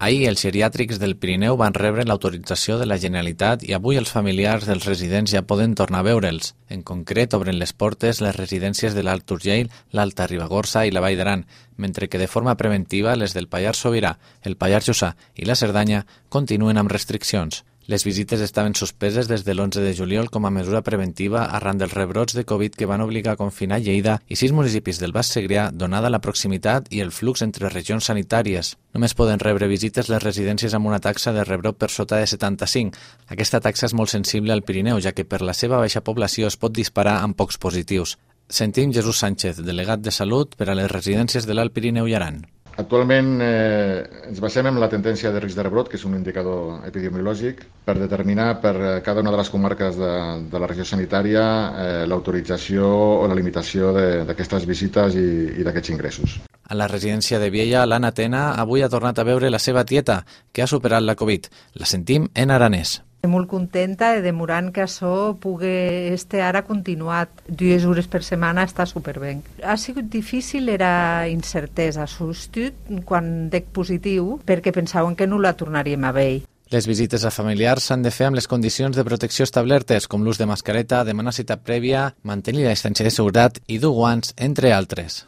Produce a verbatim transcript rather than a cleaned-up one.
Ahir els geriàtrics del Pirineu van rebre l'autorització de la Generalitat i avui els familiars dels residents ja poden tornar a veure'ls. En concret, obren les portes les residències de l'Alt Urgell, l'Alta Ribagorça i la Vall d'Aran, mentre que de forma preventiva les del Pallars Sobirà, el Pallars Jussà i la Cerdanya continuen amb restriccions. Les visites estaven suspeses des de l'onze de juliol com a mesura preventiva arran dels rebrots de Covid que van obligar a confinar Lleida i sis municipis del Baix Segrià, donada la proximitat i el flux entre regions sanitàries. Només poden rebre visites les residències amb una taxa de rebrot per sota de setanta-cinc. Aquesta taxa és molt sensible al Pirineu, ja que per la seva baixa població es pot disparar amb pocs positius. Sentim Jesús Sánchez, delegat de Salut per a les residències de l'Alt Pirineu i Aran. Actualment eh, ens basem en la tendència de risc de rebrot, que és un indicador epidemiològic, per determinar per cada una de les comarques de, de la regió sanitària eh, l'autorització o la limitació d'aquestes visites i, i d'aquests ingressos. A la residència de Viella, l'Anna Tena avui ha tornat a veure la seva tieta, que ha superat la Covid. La sentim en aranès. Estic molt contenta de demorant que això pugui este ara continuat. Dues hores per setmana està superben. Ha sigut difícil, era incertesa, substitut quan dec positiu, perquè pensaven que no la tornaríem a veure. Les visites a familiars s'han de fer amb les condicions de protecció establertes, com l'ús de mascareta, demanar cita prèvia, mantenir la distància de seguretat i dur guants, entre altres.